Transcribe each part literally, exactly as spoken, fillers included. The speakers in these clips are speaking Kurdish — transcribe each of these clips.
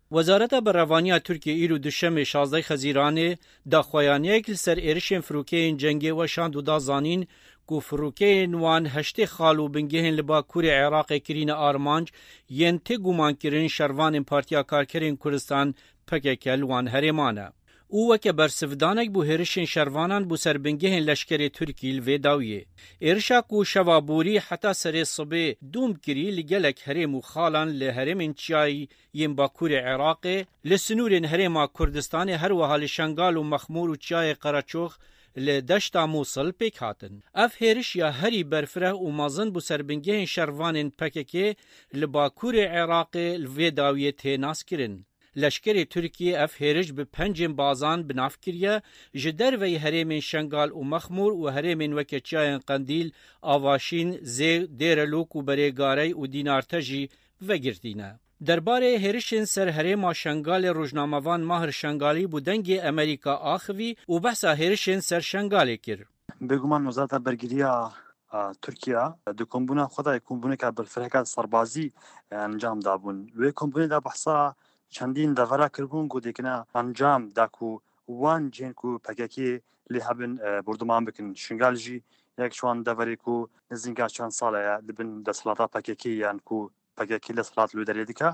Wezareta Berevaniya Tirkiyê îro Duşemê şazdeh Xezîranê daxuyaniyek li ser êrişên firokeyên cengê weşand û da zanîn ku firokeyên wan heştê xal û bingehên li Bakurê Iraqê kirîne armanc yên tê gumankirin şervanên Partiya Karkerên Kurdistan P K K li wan herêman e. Û weke bersivdanek bo hêrişên şervanan bo ser bingehên leşkerê Tirkî li vê dawiyê. Êrişa ku şeva borî heta serê sibê dûm kirî li gelek herêm û xalan li herêmên çiyayî yên Bakurê Iraqê, li sinûrên Herêma Kurdistanê, her wiha li Şengal û Mexmûr û Çiyayê Qereçox li deşta Mûsil pêk hatin. Ev hêriş ya herî berfireh û mezin bo ser bingehên şervanên P K K li Bakurê Iraqê li vê dawiyê tê naskirin. Leşkerê Tirkiyê ev hêriş bi pencên bazan bi nav kiriye, ji derveyî herêmên Şengal û Mexmûr û herêmên weke çiyayên Qendîl, Avaşîn, Zê, Dêrelok û Berê Garey û Dînarte jî vegirtîne. Derbarê hêrişên ser herêma Şengalê rojnamevan Mahir Şengalî bo Dengê Amerîka axivî û behsa hêrişên ser Şengalê kir. Bêguman Wezareta Bergiriya, a, Tirkiye di kombûna xwe de kombûneke berfireheke serbazî, e, encam dabûn. Wê kombûnê de behsa çendîn devera kiribûn ku dêkine encam da ku wan cihên ku P K K lê hebin, e, borduman bikin. Şingal jî yek ji wan deverê ku nizînka çend sale ye li bin desthilata P K K yan ku P K K desthilat li wê derê dike.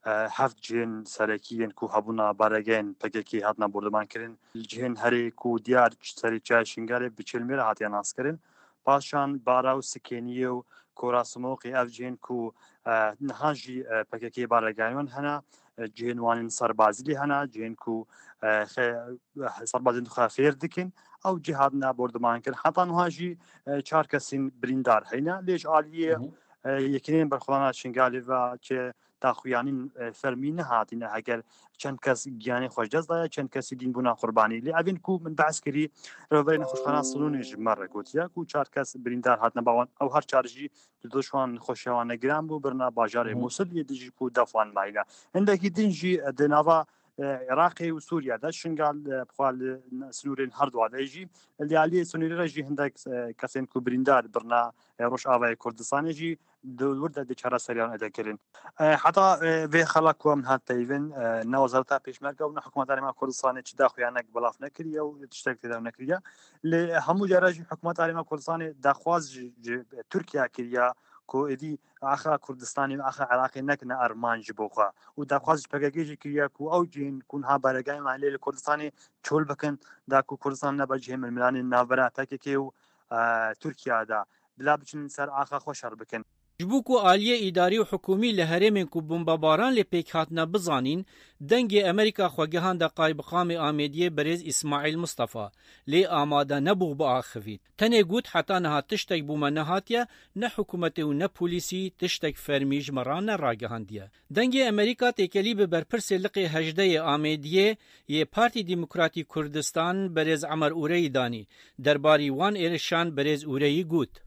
E, heft cihên serekî yên ku hebûna baregehên P K K hatina borduman kirin. Li cihên herê ku diyar serê çiyayê Şingalê bi Çêlmêrê hatiye naskirin. Paşan Bara û Sikêniyê û Kora Simoqê ev cihên ku, e, niha jî, e, P K K baregehên wan hene, e, cihên wan ên serbazî lê hene, cihên ku, e, xe-, serbazên xwe fêr dikin, ew cih hatine borduman kirin. Heta niha jî, e, çar kesên birîndar heyne. Lê ji aliyê, Hı hı. e, Yekîneyên Berxwedana Şingalê ve çi daxuyanîn, e, fermî nehatîne, heger çend kes giyanê xwe ji dest daye, çend kesî dîn bûna qurbanî. Lê evên ku min behs kirî, rêveberê nexweşxana Silûnê ji me re gotiye ku çar kes birîndar hatine, ba wan ew her çar jî di doşan nexweşiya wan ne giran bû, birina bajarê Hı hı. Mûsil yê dijî ku def wan mayîne. Hindekî din jî, e, di nava, e, Iraqê û Sûriye de Şingal, e, bi xwe li n-, sinûrên her dua de jî, li aliyê sinûrê re jî hindek, e, kesên ku birîndar birina, e, Rojavayê Kurdistanê jî di wir de di çareseriyan ede kirin. E, heta, e, vê xela ku em hat peyvin, e, ne Wezareta Pêşmerge û ne Hikûmeta Herêma Kurdistanê çi daxuyanek belav nekiriye û tiştek têdaw nekiriye. Lê hemû cara jî Hikûmeta Herêma Kurdistanê daxwaz ji, ji Tirkiye kiriye ku êdî axa Kurdistanê û axa Iraqê nekine armanc ji bo xwe. Û daxwaz ji P K K jî kiriye ku ew cihên ku niha baregehên wan lê li Kurdistanê çol bikin, da ku Kurdistan nebe cihê milmilanên navbera P K K û, e, Tirkiye de. Bila biçin ser axa xwe şer bikin. Ji bo ku aliyê îdarî û hikûmî li herêmên ku bombebaran lê pêk hatine bizanîn, Dengê Amerîka xwe gihande qaybiqamê Amêdiyê birêz Îsmaîl Mistefa, lê amade nebû biaxivît. Tenê got, heta niha tiştek bo me nehatiye, ne hikûmetê û ne polîsî tiştek fermî ji me re neragihandiye. Dengê Amerîka têkelî bi berpirsê liqê hejdeh yê Amêdiyê yê Partî Demokratî Kurdistan birêz Emer Ureyî danî. Derbarî wan êrişan birêz Ureyî got.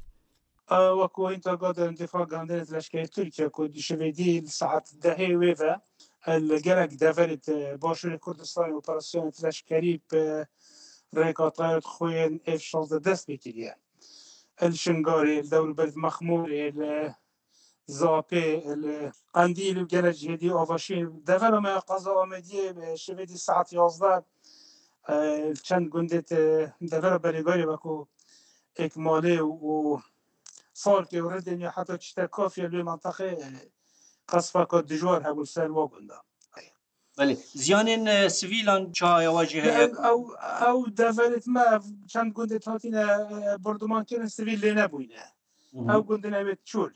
Wekî Intergade Difa Gandinê Leşkerê Tirkiye ku di şivê dî li saet dehê wê ve, e, li gelek deverê di Başûrê Kurdistanê operasyonê leşkerî bi rêka tayarê xwe yên F şazdeh dest pê kiriye. Li Şingalê, li dewrûberê Mexmûrê, li Zapê, li Qendîl û gelek cihê dî, Avaşîn. Devera me ya qeza Amediyê, e, şivê dî saet yazdeh, e, çend gundê di devera Berêgarê wekû Êkmalê û Salkê û Ridên ya heta çîte Kafya li wê menteqê, e, qesfeka dijwar hebû ser wa gunda. Belê. Ziyanên, e, sivîlan çawa ya we jî heye? Ew, ew, ew deverêt me, ev çend gundê hatine, e, borduman kirin, sivîl lê nebûyne. Hı hı. Ew gundin evêt çûl.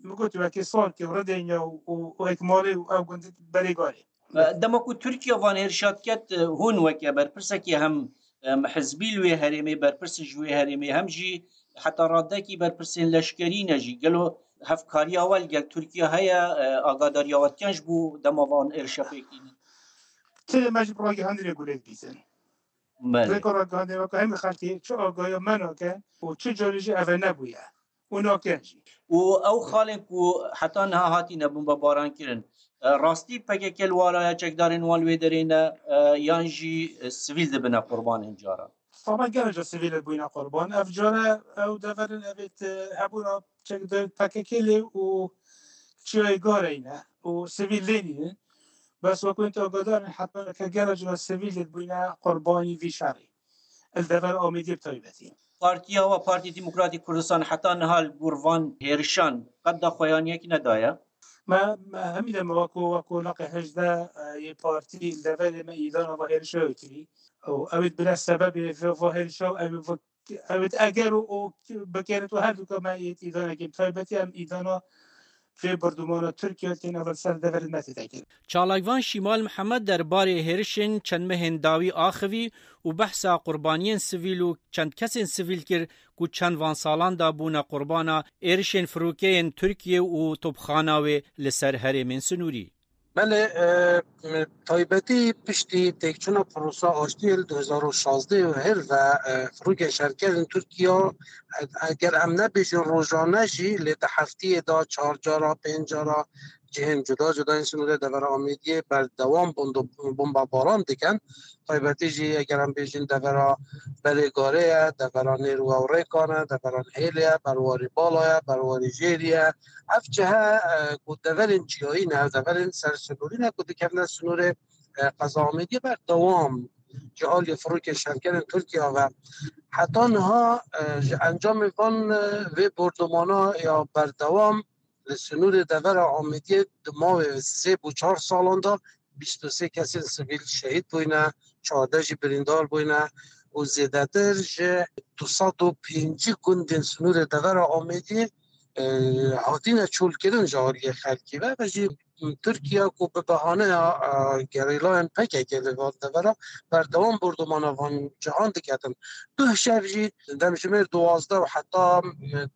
Min got, wekî Salkê û Ridênya û, û, û Êkmalê û ew gundin Berêgarê. E, dema ku Tirkiye van hêrişa diket, e, hûn weke berpirsekî hem, em, hizbî li wê herêmê, berpirsên ji wê herêmê, hem jî heta radekî berpirsên leşkerî ne jî. Gelo hevkariya we li gel Tirkiye heye, e, agadariya we dikin ji bo dema van êrişa pêk tînin? Ti me ji ragihandinê gurê dibîzin. Belê. Rêka ragihandinê weke hemî xelkê çi agaya me nake û çi carê jî eve nebûye û nakin jî. Û ew xalên ku heta niha hatine bombebaran kirin, e, rastî P K K li waraya çekdarên wan li wê derê ne, e, yan jî, e, sivîl dibine qurbanên caran? Saman gelek sivîl bûyne qurban. Ev care ew deverin evêt, e, hebûna çekdar P K K lê û çiyayê Gareyne û sivîl lê nînin. Bes wekû hûn agadar in, hetman ke gelek cina sivîl bûne qurbanî vî şerî. Li dever Amêdiyê bi taybetî. Partiya we, Partî Demokratîk Kurdistan, heta niha li gor van hêrişan qet daxuyaniyekî nedaye. Me, me hemî de me weko, weko laqê hejdeh yê partî li deverê me îdana va hêrişa wê kirî. Û ew ê bine sebebê va hêrişa û ew ê ew ê eger û, û bikerê tu her duka me ê îdanekî taybetî em îdana vê bordûmana Tirkiye tên ev ser deverê me tê dekirin. Çalakvan Şîmal Mihemed derbarê hêrişên çend mehên dawî axivî û behsa qurbaniyên sivîl û çend kesên sivîl kir ku çend van salan de bûne qurbana êrişên firokeyên Tirkiye û topxana wê li ser herêmên sinûrî. Belê, taybetî piştî têkçûna Prosa Aştiyê li du hezar û şazdeh û her ve firokên şerkerên Tirkiye, eger em nebêjin rojane jî, lê di heftiyê de çar cara, pênc cara cihên cuda cuda yên sinûrê devera Amêdiyê berdewam bombebaran dikin. Taybetî jî eger em bêjin devera Belê Garê ye, devera Nêr û Ewrêkan e, devera Nihêlê ye, Berwarî Bala ye, Berwarî Jêrî ye. Ev cihe ku deverên çiyayî ne, ev deverên sersinûrî ne ku dikevine sinûrê qeza Amêdiyê berdewam ji aliyê firokên şerkerên Tirkiye ve heta niha ji encamê van vê bordûmana ya berdewam li sinûrê devera Amêdiyê di mawê sê bo çar salan de bîst û sê kesên sivîl şehîd bûyne, çardeh jî birîndar bûyne û zêdetir ji du sed û pêncî gundên sinûrê devera Amêdiyê hatine çolkirin ji aliyê xelkê ve ve jî Tirkiye ku bi behaneya gerîlayên P K K li van devera berdewam bordûmana van cihan diketin. Duh şev jî demjimêr duwazdeh û heta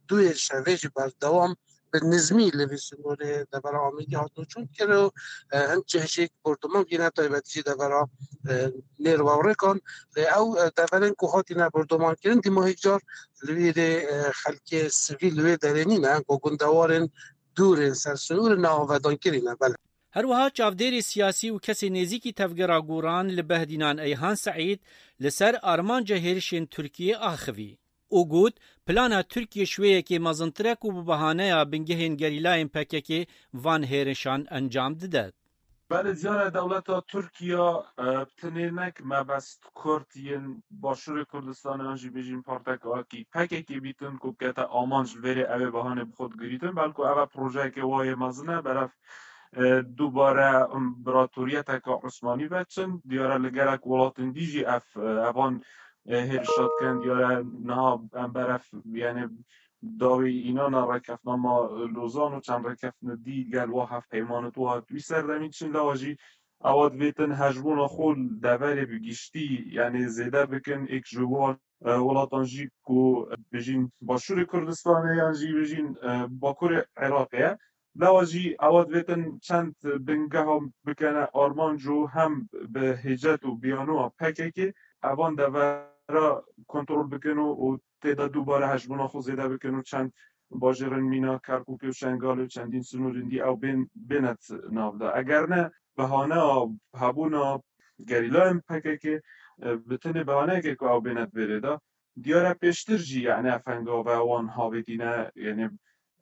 duyê şevê jî berdewam bi nizmî li vî sînorê devera Amêdî hatine çûn kir û hin cih jî bordoman bîne taybetî jî devera Nêr û Ewrêkan. Lê ew deverên ku hatine bordoman kirin dîma hêk car li vî rê xelkê sivîl li wê derê nîne ku gundewarên dûrên ser sînorê neavedankirî ne. Belê. Her wiha çavdêrê siyasî û kesê nêzîkî tevgera Goran li Behdînan Eyhan Seîd li ser armanca hêrişên Tirkiyê axivî û got, plana Tirkiyê ji wê yekê mezintir e ku bi behaneya bingehên gerîlayên P K K van hêrişan encam dide. Belê, diyar e dewleta Tirkiya, e, bi tenê nek mebest Kurd yên Başûrê Kurdistanê yan jî bêjîn parteka wekî P K K bîtin ku bikete amanc li vêrê ew ê behanê bi xwe digirîtin, belku ev e projeyeke wa yê mezin e, berev, e, dubare împaratoriyeteke Osmanî veçin. Diyar e li gelek welatên dî jî ev, e, evan, e, hêrişa dikin. Diyar e niha em berev, yani, dawî înana rêkeftinama Lozan û çend rêkeftinê dî gel wa hevpeymanê tu hat wî serdemî diçin, lewa jî ewa divêtin hejbûna xwe li deverê bi giştî, yani zêde bikin, êk ji wan, e, welatan jî ku bijîn Başûrê Kurdistanê yan jî bijîn, e, Bakurê Iraqê ye. Lewa jî ewa divêtin çend bingeha bikene armanc û hem bi hêcet û biyanoya P K K evan devera kontrol bikin û, û tê de dubare hejbûna xwe zêde bikin û çend bajêrên mîna Kerkûkê û Şengalê û çendîn sinûrên dî ew bên, bêne nav de. Eger ne, behaneya hebûna gerîlayên P K K, e, bi tenê behaneyeke ku ew bêne di vê rê de. Diyar e pêştir jî, yani, ev hengave wan havêtîne, yani,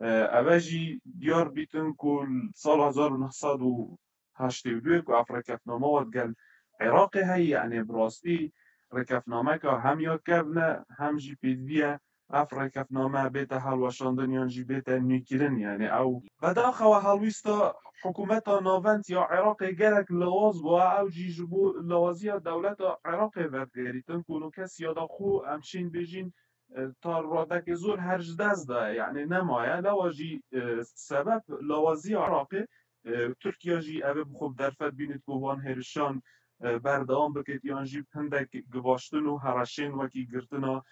e, ev e jî diyar bîtin ku sala hezar û neh sed û heştê û duyê ku ev rêkefname wa digel Iraqê heye, yani, bi rastî rêkefnameka hem ya kevn e, hem jî pêdivî ye ev rêkefname bête hilweşandin yan jî bête nûkirin, yani, ew. Bedaxewa helwîsta hikûmeta navend ya Iraqê gelek lawaz bû, ew jî ji bo lawaziya dewleta Iraqê vedigerîtin ku nûke siyada xwe em şên bêjîn, e, ta radekê zor her ji dest daye, yani nemaye. Lewa jî, e, sebeb lawaziya Iraqê, e, Tirkiye jî ev ê bi xwe bi derfet bînit ku van hêrişan, e, berdewam bikit yan jî hindek givaştin û hereşên wekî girtina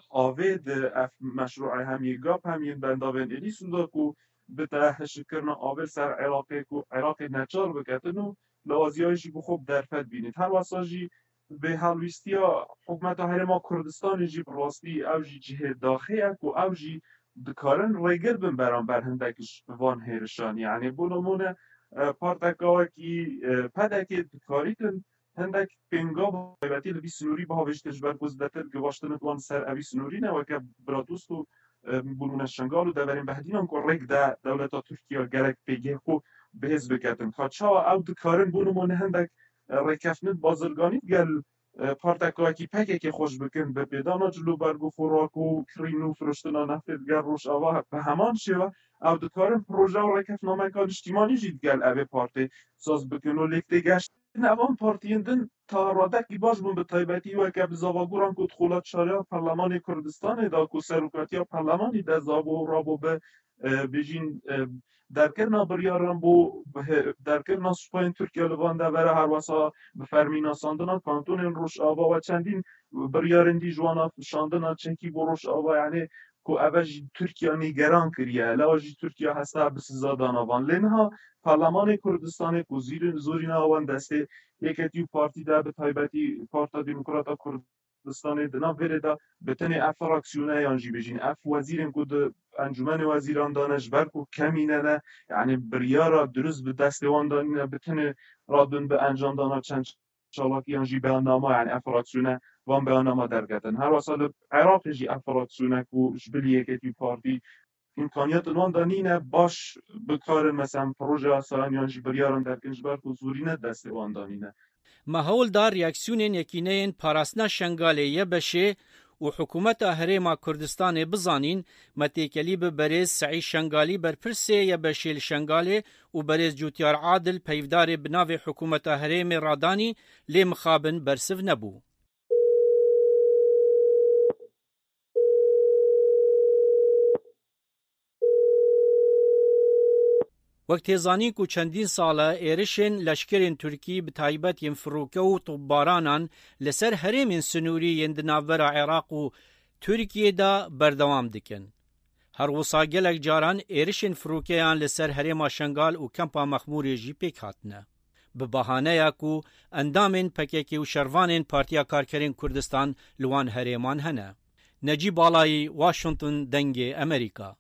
avê di ev meşrûê hem yê gap hem yên bendavên êlî sûnda ku bite hişkkirina avê li ser Iraqê ku Iraqê neçar biketin û lawaziyayê jî bi xwe bi derfet bînit. Her wesa jî bi helwîstiya hikûmeta Herêma Kurdistanê jî bi rastî ew jî cihê daxê ye ku ew jî dikarin rêgir bin beramber hindek ji van hêrişan. Yanî bo nimûne, e, parteka wekî, e, P D K dikarîtin hindek pênga taybetî li vî sinûrî bihavêjtin ji ber ku zêdetir givaştin wan ser evî sinûrî ne weke Biradost û, e, Bûlûne Şengal û deverên Behdînan ku rêk de dewleta Tirkiye gelek pêgehê xwe bi hêz biketin. Ka çawa ew dikarin, bo nimûne, hindek, e, rêkeftin bazirganî digel, e, parteka wekî P K K xweş bikin, bi pêdana cil û berg û xurrak û kirîn û firuştina neftê digel Rojava, bi heman şêwe ew dikarin proje û rêkefnameka niştîmanî jî digel evê partê saz bikin û lêk têgeştin evan partiyên din ta radekî baş bûn, bi taybetî weke bi zavagoran ku di xola çariya Perlemanê Kurdistanê de ku serokatiya Perlemanî de zabo rabo bi, e, bijîn, e, derkirina biryaran bo, derkirina supayên Tirkiye li van devera, herwesa bi fermî nasandina kantonên Rojava we çendîn biryarên dî ji wana şandina çekî bo Rojava, yanî ku eve jî Tirkiye nîgeran kiriye, lewa jî Tirkiye hesta bi siza dana van. Lê niha Perlemanê Kurdistanê ku zîrin-, zorîna wan destê Yeketî û Partî de, bi taybetî Parta Demokrata Kurdistanê di nav vêrê de bi tenê ev fraksiyone yan jî bêjîn ev wezîrên ku di Encûmenê Wezîran de ne, ji ber ku kemîne ne, yanî biryara dirust bi destê wan de nîne, bi tenê radin bi encamdana çend çalakiyan jî beyannama, yanî ev fraksiyone van beyannama derketin. Her wesa li Iraqê jî ev fraksiyone ku ji bilî Yeketî Partî îmkaniyatên wan de nîne baş bikarin, mesela proje yasayan yan jî biryaran derkin, ji ber ku zorîne destê wan de nîne. Me hewl da reaksiyonên Yekîneyên Parastina Şengalê, Y B Ş, û Hikûmeta Herêma Kurdistanê bizanîn, me têkelî bi berêz Seîd Şengalî, berpirsê Y B Şê li Şengalê, û berêz Cûtiyar Adil, peyvdarê bi navê Hikûmeta Herêmê, radanî, lê mixabin bersiv nebû. Wek tê zanîn ku çendîn sal e êrişên leşkerên Tirkî, bi taybet yên firûke û topbaranan, li ser herêmên sinûrî yên di navbera Iraq û Tirkiyê de berdewam dikin. Her wisa gelek caran êrişên firûkeyan li ser herêma Şengal û kempa Mexmûrê jî pêk hatine, bi bahaneya ku endamên P K K û şervanên Partiya Karkerên Kurdistan li wan herêman hene. Necîb Balayî, Washington, Dengê Amerîka.